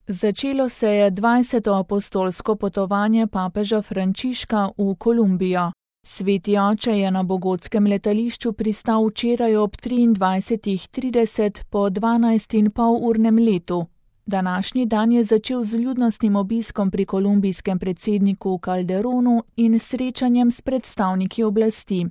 Začelo se je 20. apostolsko potovanje papeža Frančiška v Kolumbijo. Sveti oče je na bogotskem letališču pristal včeraj ob 23:30 po 12,5-urnem letu. Današnji dan je začel z vljudnostnim obiskom pri kolumbijskem predsedniku Calderonu in srečanjem s predstavniki oblasti.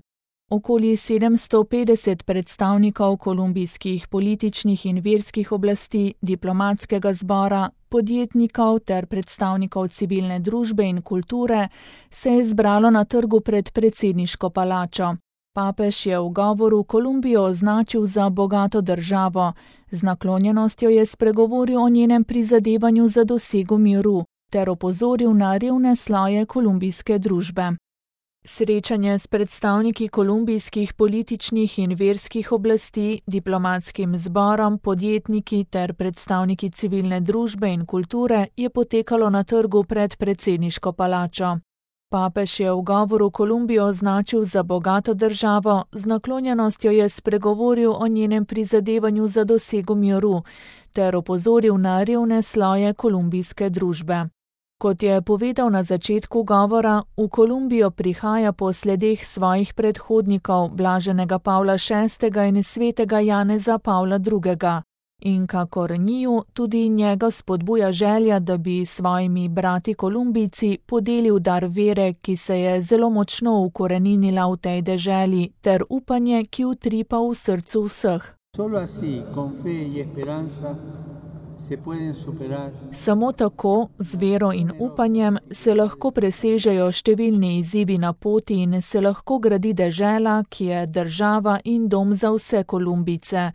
Okoli 750 predstavnikov kolumbijskih političnih in verskih oblasti, diplomatskega zbora, podjetnikov ter predstavnikov civilne družbe in kulture se je zbralo na trgu pred predsedniško palačo. Papež je v govoru Kolumbijo označil za bogato državo, z naklonjenostjo je spregovoril o njenem prizadevanju za dosego miru ter opozoril na revne sloje kolumbijske družbe. Srečanje s predstavniki kolumbijskih političnih in verskih oblasti, diplomatskim zborom, podjetniki ter predstavniki civilne družbe in kulture je potekalo na trgu pred predsedniško palačo. Papež je v govoru Kolumbijo označil za bogato državo, z naklonjenostjo je spregovoril o njenem prizadevanju za dosego miru ter opozoril na revne sloje kolumbijske družbe. Kot je povedal na začetku govora, v Kolumbijo prihaja po sledeh svojih predhodnikov, blaženega Pavla VI. In svetega Janeza Pavla II. In kakor njiju, tudi njega spodbuja želja, da bi svojimi brati Kolumbijci podelil dar vere, ki se je zelo močno ukoreninila v tej deželi, ter upanje, ki utripa v srcu vseh. Samo tako, z vero in upanjem, se lahko presežejo številni izzivi na poti in se lahko gradi dežela, ki je država in dom za vse Kolumbijce,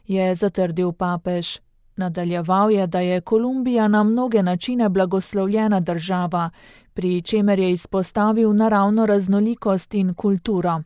je zatrdil papež. Nadaljeval je, da je Kolumbija na mnoge načine blagoslovljena država, pri čemer je izpostavil naravno raznolikost in kulturo.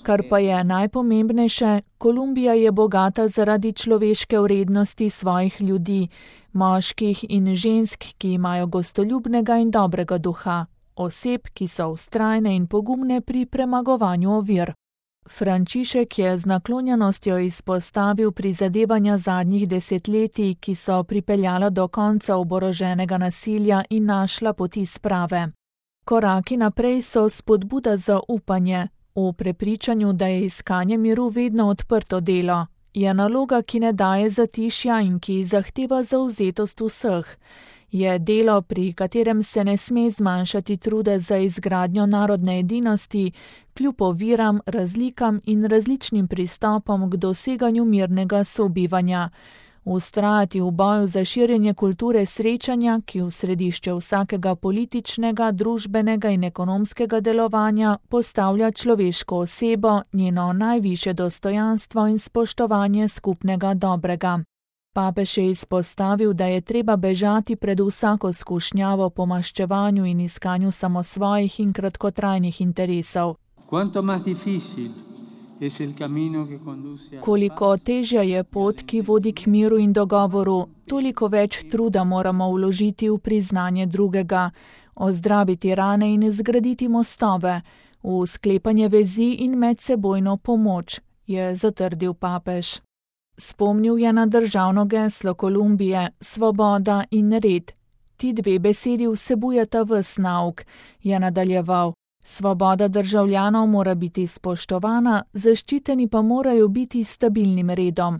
Kar pa je najpomembnejše, Kolumbija je bogata zaradi človeške vrednosti svojih ljudi, moških in žensk, ki imajo gostoljubnega in dobrega duha, oseb, ki so vztrajne in pogumne pri premagovanju ovir. Frančišek je z naklonjenostjo izpostavil prizadevanja zadnjih desetletij, ki so pripeljala do konca oboroženega nasilja in našla poti sprave. Koraki naprej so spodbuda za upanje, v prepričanju, da je iskanje miru vedno odprto delo, je naloga, ki ne daje zatišja in ki zahteva zavzetost vseh. Je delo, pri katerem se ne sme zmanjšati truda za izgradnjo narodne edinosti, kljub oviram, razlikam in različnim pristopom k doseganju mirnega sobivanja. Vztrajati v boju za širjenje kulture srečanja, ki v središče vsakega političnega, družbenega in ekonomskega delovanja postavlja človeško osebo, njeno najvišje dostojanstvo in spoštovanje skupnega dobrega. Papež je izpostavil, da je treba bežati pred vsako skušnjavo po maščevanju in iskanju samosvojih in kratkotrajnih interesov. Koliko težja je pot, ki vodi k miru in dogovoru, toliko več truda moramo vložiti v priznanje drugega, ozdraviti rane in zgraditi mostove, v sklepanje vezi in medsebojno pomoč, je zatrdil papež. Spomnil je na državno geslo Kolumbije, svoboda in red. Ti dve besedi vsebujeta ves nauk, je nadaljeval. Svoboda državljanov mora biti spoštovana, zaščiteni pa morajo biti stabilnim redom.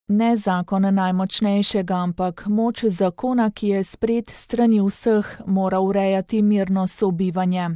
Ne zakon najmočnejšega, ampak moč zakona, ki je sprejet strani vseh, mora urejati mirno sobivanje.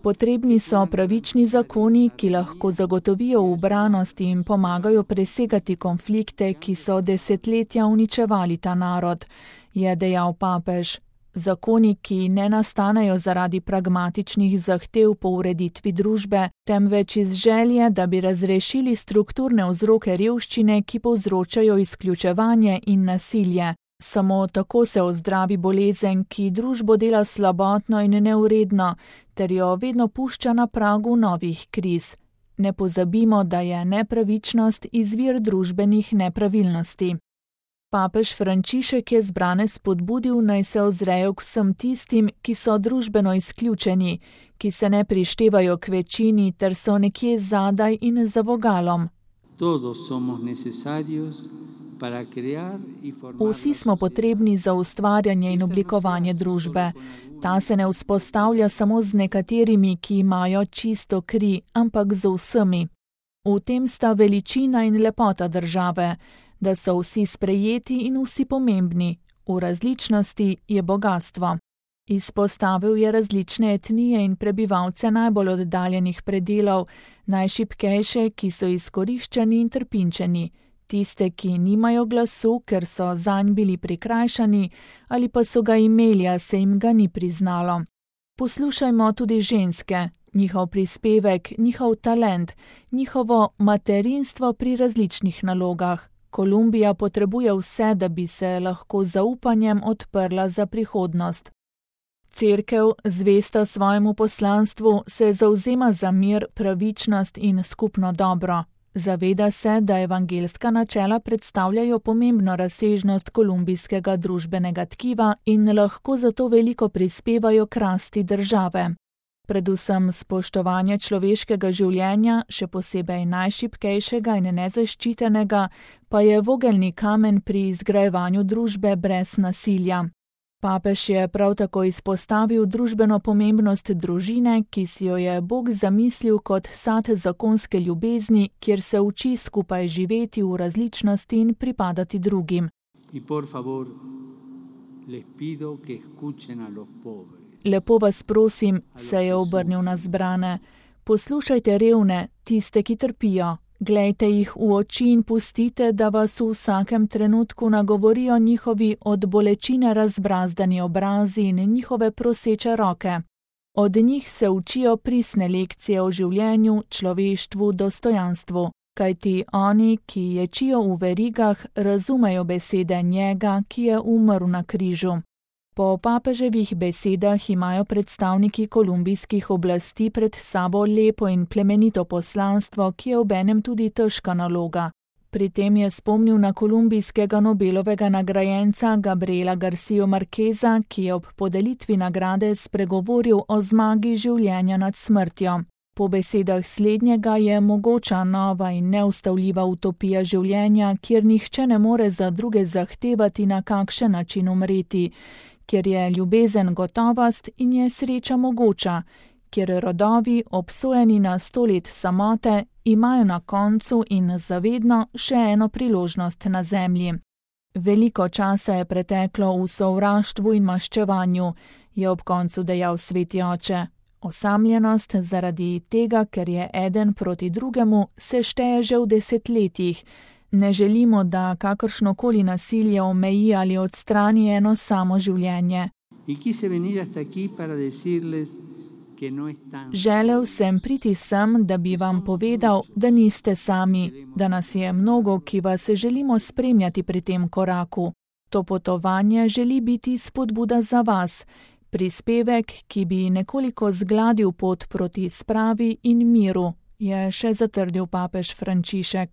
Potrebni so pravični zakoni, ki lahko zagotovijo ubranost in pomagajo presegati konflikte, ki so desetletja uničevali ta narod, je dejal papež. Zakoni, ki ne nastanejo zaradi pragmatičnih zahtev po ureditvi družbe, temveč iz želje, da bi razrešili strukturne vzroke revščine, ki povzročajo izključevanje in nasilje. Samo tako se ozdravi bolezen, ki družbo dela slabotno in neuredno, ter jo vedno pušča na pragu novih kriz. Ne pozabimo, da je nepravičnost izvir družbenih nepravilnosti. Papež Frančišek je zbrane spodbudil, naj se ozrejo k vsem tistim, ki so družbeno izključeni, ki se ne prištevajo k večini ter so nekje zadaj in za vogalom. Vsi smo potrebni za ustvarjanje in oblikovanje družbe. Ta se ne vzpostavlja samo z nekaterimi, ki imajo čisto kri, ampak z vsemi. V tem sta veličina in lepota države, da so vsi sprejeti in vsi pomembni. V različnosti je bogastvo. Izpostavil je različne etnije in prebivalce najbolj oddaljenih predelov, najšibkejše, ki so izkoriščeni in trpinčeni, tiste, ki nimajo glasu, ker so zanj bili prikrajšani, ali pa so ga imeli, a se jim ga ni priznalo. Poslušajmo tudi ženske, njihov prispevek, njihov talent, njihovo materinstvo pri različnih nalogah. Kolumbija potrebuje vse, da bi se lahko z zaupanjem odprla za prihodnost. Cerkev, zvesta svojemu poslanstvu, se zavzema za mir, pravičnost in skupno dobro. Zaveda se, da evangeljska načela predstavljajo pomembno razsežnost kolumbijskega družbenega tkiva in lahko zato veliko prispevajo k rasti države. Predvsem spoštovanje človeškega življenja, še posebej najšibkejšega in nezaščitenega, pa je vogelni kamen pri izgrajevanju družbe brez nasilja. Papež je prav tako izpostavil družbeno pomembnost družine, ki si jo je Bog zamislil kot sad zakonske ljubezni, kjer se uči skupaj živeti v različnosti in pripadati drugim. Lepo vas prosim, se je obrnil na zbrane, poslušajte revne, tiste, ki trpijo. Glejte jih v oči in pustite, da vas v vsakem trenutku nagovorijo njihovi od bolečine razbrazdani obrazi in njihove proseče roke. Od njih se učijo pristne lekcije o življenju, človeštvu, dostojanstvu, kajti oni, ki ječijo v verigah, razumejo besede njega, ki je umrl na križu. Po papeževih besedah imajo predstavniki kolumbijskih oblasti pred sabo lepo in plemenito poslanstvo, ki je obenem tudi težka naloga. Pri tem je spomnil na kolumbijskega Nobelovega nagrajenca Gabriela García Márqueza, ki je ob podelitvi nagrade spregovoril o zmagi življenja nad smrtjo. Po besedah slednjega je mogoča nova in neustavljiva utopija življenja, kjer nihče ne more za druge zahtevati, na kakšen način umreti, kjer je ljubezen gotovost in je sreča mogoča, kjer rodovi, obsojeni na 100 let samote, imajo na koncu in zavedno še eno priložnost na zemlji. Veliko časa je preteklo v sovraštvu in maščevanju, je ob koncu dejal sveti oče. Osamljenost zaradi tega, ker je eden proti drugemu, se šteje že v desetletjih. Ne želimo, da kakršnokoli nasilje omeji ali odstrani eno samo življenje. Želel sem priti sem, da bi vam povedal, da niste sami, da nas je mnogo, ki vas želimo spremljati pri tem koraku. To potovanje želi biti spodbuda za vas, prispevek, ki bi nekoliko zgladil pot proti spravi in miru, je še zatrdil papež Frančišek.